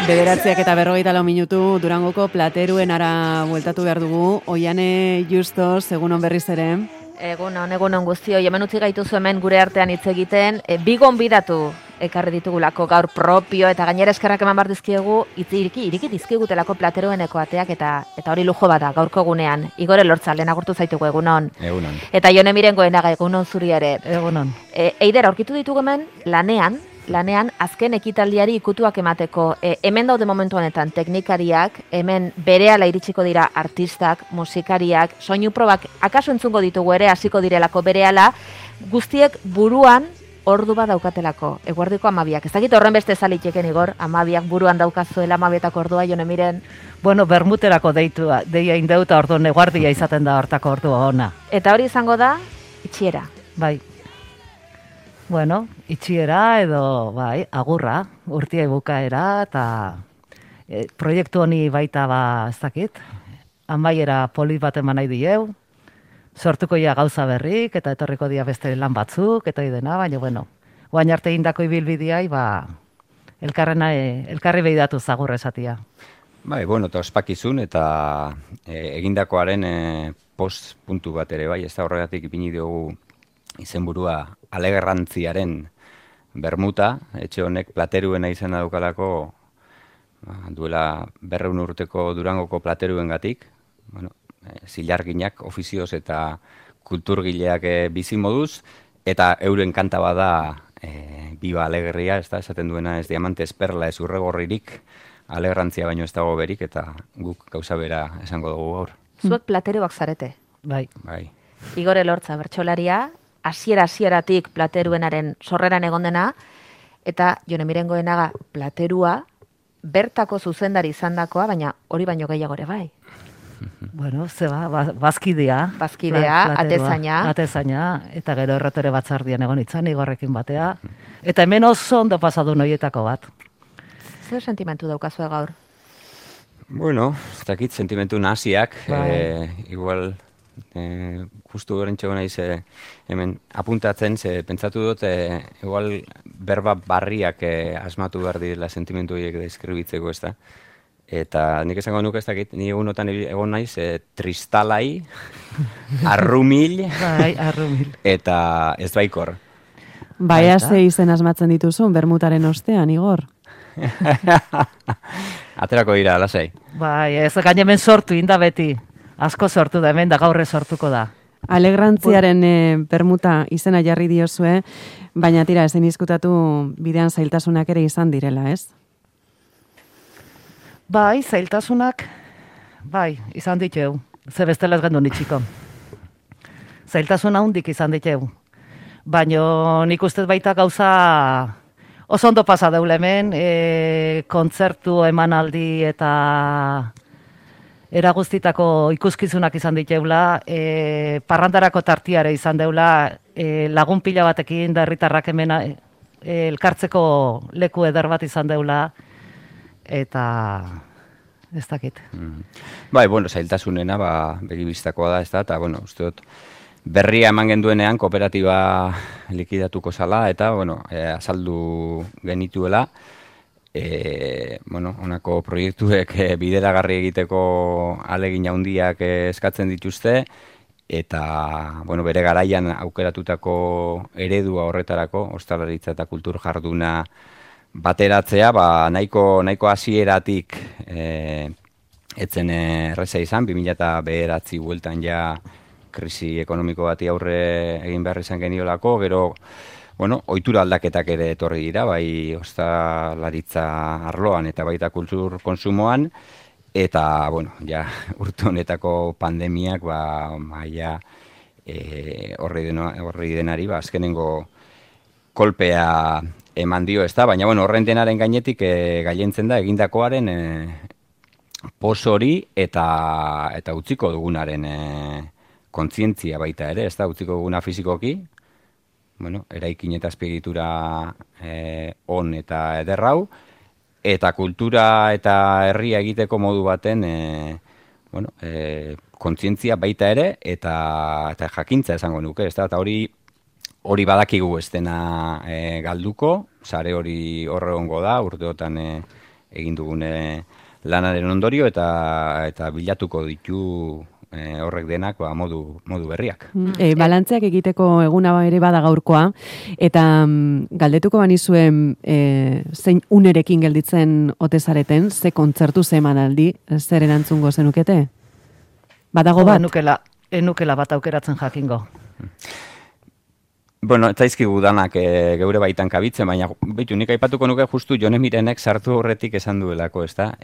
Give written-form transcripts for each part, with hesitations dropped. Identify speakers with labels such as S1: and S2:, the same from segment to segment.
S1: 9:44 Durangoko Plateruen ara bueltatu behar dugu. Oiane Justos, egunon berriz ere.
S2: Egunon guztioi, hemen utzi gaituzu hemen gure artean hitz egiten. Bi gonbidatu ekarri ditugulako gaur propio eta gainera eskerrak eman bar dizkiegu iriki dizkigutelako Platerueneko ateak eta hori lujo bada gaurko gunean. Igor Elortza lehen agurtu zaitugu egunon.
S3: Egunon.
S2: Eta Jone Mirengoenaga egunon zuri ere.
S1: Egunon.
S2: Eider aurkitu ditugu hemen lanean azken ekitaldiari ikutuak emateko. Hemen daude momentu honetan teknikariak, hemen berehala iritsiko dira artistak, musikariak, soinu probak akaso entzungo ditugu ere hasiko direlako berehala, guztiek buruan ordu bat daukatelako, eguerdiko 12. Ez dakit horren beste zaliteken Igor, 12 buruan daukazuela 12 ordua, Jone Miren.
S4: Bueno, bermuterako deia indeuta orduan eguardia izaten da hortako ordua ona.
S2: Eta hori izango da, itxiera.
S4: Bai. Bueno, itxiera edo, bai, agurra, urtia bukaera eta proiektu honi baita ez dakit, amaiera polit bat eman nahi dieu, sortuko ia gauza berrik eta etorriko dia beste lan batzuk eta idena, baina bueno, guain arte indako ibilbideai, elkarri behidatu zagur esatia.
S3: Bai, bueno, eta ospakizun eta egindakoaren post puntu bat ere, bai, ez da horregatik ipini dugu izenburua Alegerrantziaren bermuta, etxe honek Plateruena izena daukalako duela 200 urteko Durangoko Plateruengatik, bueno, zilarginak, ofizioz eta kulturgileak bizi moduz, eta euren kanta bada Biba Alegerria, ez da, esaten duena ez diamantes perla ez urregorririk, Alegerrantzia baino ez dago berik, eta guk gauza bera esango dugu gaur.
S2: Zuek Plateruak zarete.
S4: Bai.
S2: Igor Elortza bertsolaria, hasieratik Plateruenaren sorreran egon dena, eta Jone Mirengoenaga Platerua bertako zuzendari izandakoa, baina hori baino gehiago ere bai.
S4: Bueno, bazkidea, atezaina, eta gero erretore batzardian egon itzan, Igorrekin batea, eta hemen oso ondo pasadu noietako bat.
S2: Zer sentimentu daukazue gaur?
S3: Bueno, ez dakit sentimentu nahasiak, igual justu gorentxego naiz hemen apuntatzen, pentsatu dut igual berba barriak asmatu behar direla sentimentu horiek deskribitzeko, ez da. Eta nik esango nuke ez dakit, ni egunotan egon naiz tristalai, arrumil, eta ez baikor.
S1: Baia ze izen asmatzen dituzun, bermutaren ostean, Igor.
S3: Aterako dira, lasai.
S4: Bai, ez gain hemen sortu inda beti. Asko sortu da hemen, da gaurre sortuko da.
S1: Alegrantziaren bermuta izena jarri diozue, baina tira, ezin diskutatu bidean zailtasunak ere izan direla, ez?
S4: Bai, zailtasunak, izan diteu. Ze bestela ez gendu nitxiko. Zailtasuna hundik izan diteu. Baina nik ustez baita gauza oso ondo pasa deule hemen, kontzertu emanaldi eta eraguztitako ikuskizunak izan diteula, parrandarako tartiare izan deula, lagun pila batekin da herritarrak hemen elkartzeko leku eder bat izan deula, eta ez dakit.
S3: Bai, bueno, zailtasunena, begibistakoa da, ez da, eta, bueno, uste dut, berria eman genduenean kooperatiba likidatuko zala, eta, bueno, azaldu genituela, honako proiektuek bideragarri egiteko ahalegin handiak eskatzen dituzte, eta, bueno, bere garaian aukeratutako eredua horretarako, ostalaritza eta kultur jarduna bateratzea, nahiko hasieratik etzen erreza izan, 2009 bueltan ja krisi ekonomiko bati aurre egin behar izan geniolako, gero, bueno, ohitura aldaketak ere etorri dira, bai ostalaritza arloan eta baita kultur konsumoan, eta, bueno, ja, urte honetako pandemiak, maila horri denari, azkenengo kolpea eman dio, ez da, baina, bueno, horren denaren gainetik gailentzen da egindakoaren pos hori eta utziko dugunaren kontzientzia baita ere, ez da, utziko duguna fizikoki, bueno, eraikin eta azpiegitura on eta ederrau, eta kultura eta herria egiteko modu baten kontzientzia baita ere, eta jakintza esango nuke, ez da, eta hori badakigu ez dena galduko, sare hori horre hongo da, urteotan egin dugune lanaren ondorio eta bilatuko ditu horrek denak modu berriak.
S1: Balantzeak egiteko eguna ere bada gaurkoa, eta galdetuko banizuen zein unerekin gelditzen ote zareten, ze kontzertu ze emanaldi, zer erantzungo zenukete? Badago bat?
S4: Enukela bat aukeratzen jakingo.
S3: Bueno, ez zaizkigu danak geure baitan kabitzen, baina behitu, nik aipatuko nuke justu Jone Mirenek sartu horretik esan duelako, ez da?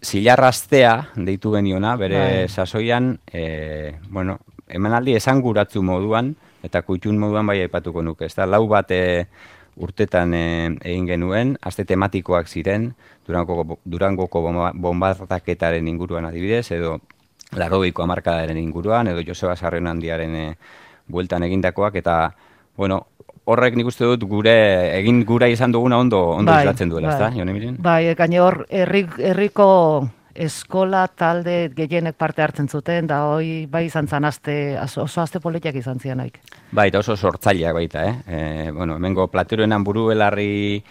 S3: Zilarraztea deitu geniona, bere sasoian, emanaldi esanguratzu moduan, eta kutxun moduan bai aipatuko nuke, ez da? 4 bat urtetan egin genuen, aste tematikoak ziren, Durangoko bombardaketaren inguruan adibidez, edo 80ko hamarkadaren inguruan, edo Joseba Sarrionandiaren bueltan egindakoak, eta, horrek nik uste dut egin gura izan duguna ondo islatzen duela, ez da, Jone Miren?
S4: Bai, gaine hor, herriko eskola talde gehienek parte hartzen zuten, da hoi bai izan zan oso aste politiak izan zianaik.
S3: Bai, eta oso sortzaileak baita, hemengo plateroenan burubelarri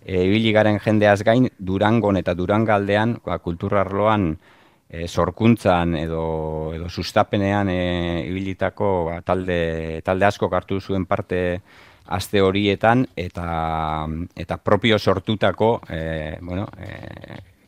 S3: ibili garen jendeaz gain, Durangon eta Durangaldean, kulturarloan, sorkuntzan edo sustapenean ibilitako talde asko hartu zuen parte aste horietan, eta propio sortutako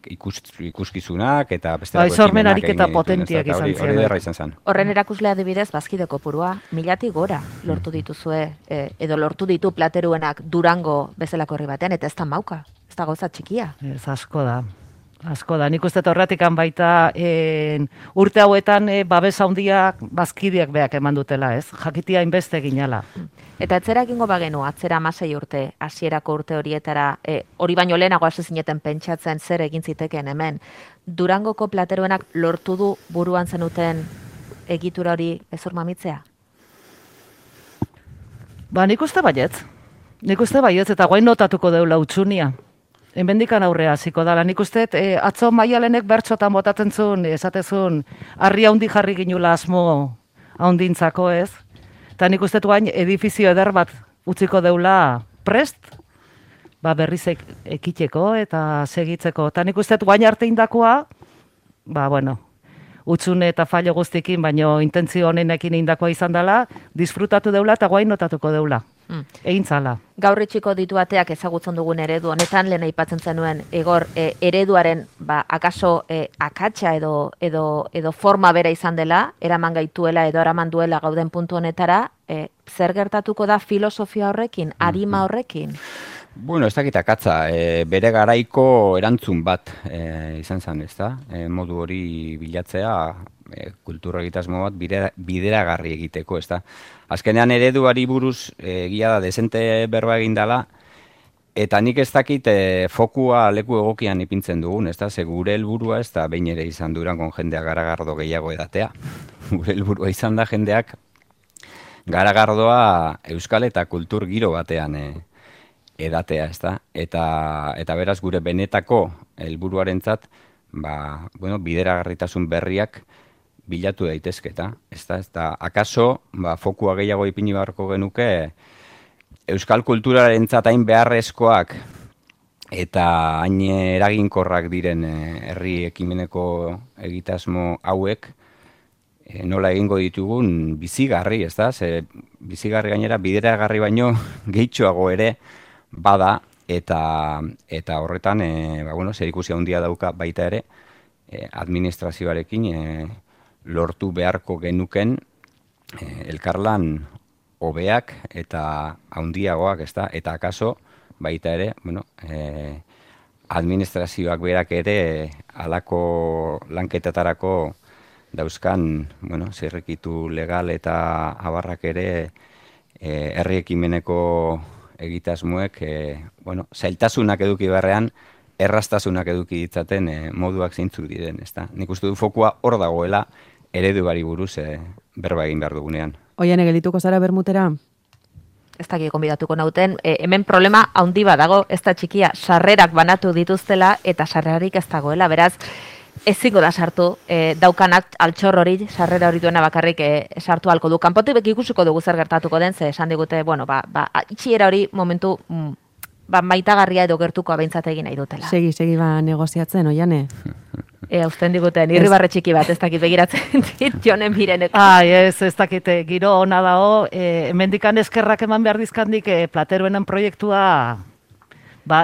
S3: ikuskizunak eta beste
S4: sormen ariketa potentiak izan ziren.
S3: Hori derra izan zen.
S2: Horren erakuslea adibidez, Bazkide kopurua, 1000 gora lortu dituzue, edo lortu ditu plateruenak Durango bezalako herri batean, eta ez da mauka, ez da gauza txikia.
S4: Ez asko da. Nik uste horretikan baita urte hauetan babes handiak Bazkideak beak eman dutela, ez? Jakitia inbeste ginala.
S2: Eta etzera egingo bagenu, atzera 16 urte, hasierako urte horietara, hori baino lehenago hasi zineten pentsatzen zer egin zitekeen hemen. Durangoko plateruenak lortu du buruan zenuten egitura hori ezur mamitzea?
S4: Nik uste baietz. Eta guain notatuko deula utxunia. Hemendikan aurrea hasiko dala. Nik uste, atzo Maialenek bertxotan botatzen zuen, esatezun, harri handi jarri ginula asmo handintzako, ez? Eta nik uste guain edifizio eder bat utziko deula prest, berriz ekiteko eta segitzeko. Eta nik uste guain arte indakoa, utxune eta fallo guztikin, baino intentzio honenekin indakoa izan dela, disfrutatu deula eta guain notatuko deula. Egin zala.
S2: Gaur itxiko ditu ateak ezagutzen dugun eredu honetan, lehen aipatzen zenuen, Igor, ereduaren akaso akatsa edo forma bera izan dela, eraman gaituela edo eraman duela gauden puntu honetara, zer gertatuko da filosofia horrekin, arima horrekin?
S3: Bueno, ez dakit akatza, bere garaiko erantzun bat izan zen, ez da? Modu hori bilatzea, kultura egitasmo bat bideragarri egiteko, ez da? Azkenean ereduari buruz egia da desente berba egin dela, eta nik ez dakit fokua leku egokian ipintzen dugun, ez da? Ze gure helburua ez da behin ere izan Durangon jendeak garagardo gehiago edatea. Gure helburua izan da jendeak garagardoa euskal eta kultur giro batean edatea, ez da? Eta beraz gure benetako helburuarentzat, bideragarritasun berriak bilatu daitezketa, ez da, akaso, fokua gehiago ipini beharko genuke, euskal kulturarentzat hain beharrezkoak eta hain eraginkorrak diren herri ekimeneko egitasmo hauek, nola egingo ditugun bizigarri, ez da, bizigarri gainera bideragarri baino gehitxoago ere bada, eta horretan, zerikusia handia dauka baita ere, administrazioarekin lortu beharko genuken elkarlan hobeak eta handiagoak, ez da, eta akaso baita ere, administrazioak berak ere halako lanketetarako dauzkan, zirrikitu legal eta abarrak ere herri ekimeneko egitasmoek, zailtasunak eduki beharrean, errastasunak eduki ditzaten moduak zeintzuk diren, ez da. Nik uste du fokua hor dagoela ereduari buruz berba egin behar dugunean.
S1: Oian, gelituko zara bermutera?
S2: Ez dakik konbidatuko nauten, hemen problema handi badago, ez da txikia, sarrerak banatu dituztela eta sarrerarik ez dagoela, beraz, ezingo da sartu, daukanak altxor hori, sarrera hori duena bakarrik sartu halko du. Kanpotik ikusiko dugu zer gertatuko den, ze esan digute, itxiera hori momentu maitagarria edo gertukoa behintzat egin nahi dutela.
S1: Segi negoziatzen, oiane.
S2: Usten diguten, irribarre txiki bat, ez dakit begiratzen dit, Jonen Mirenek.
S4: Ez dakit, giro ona dao, hemendikan eskerrak eman behar dizkandik plateruenen proiektua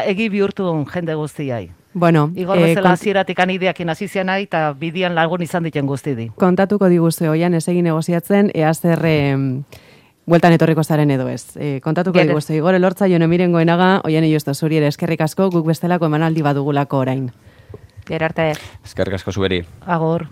S4: egi bihurtu jende guztiai.
S1: Bueno,
S4: Igor bezala hasieratik ideakin hasi zianai eta bidian lagun izan diten guztidi.
S1: Kontatuko diguzu, oian, ez egin negoziatzen, ea zer bueltan etorriko zaren edo ez. Kontatuko diguzu, Igor Elortza, Jone Miren Goenaga, oian Justo zuri ere eskerrik asko, guk bestelako emanaldi badugulako orain.
S2: Gero arte.
S3: Eskerrik asko zuberi.
S4: Agor.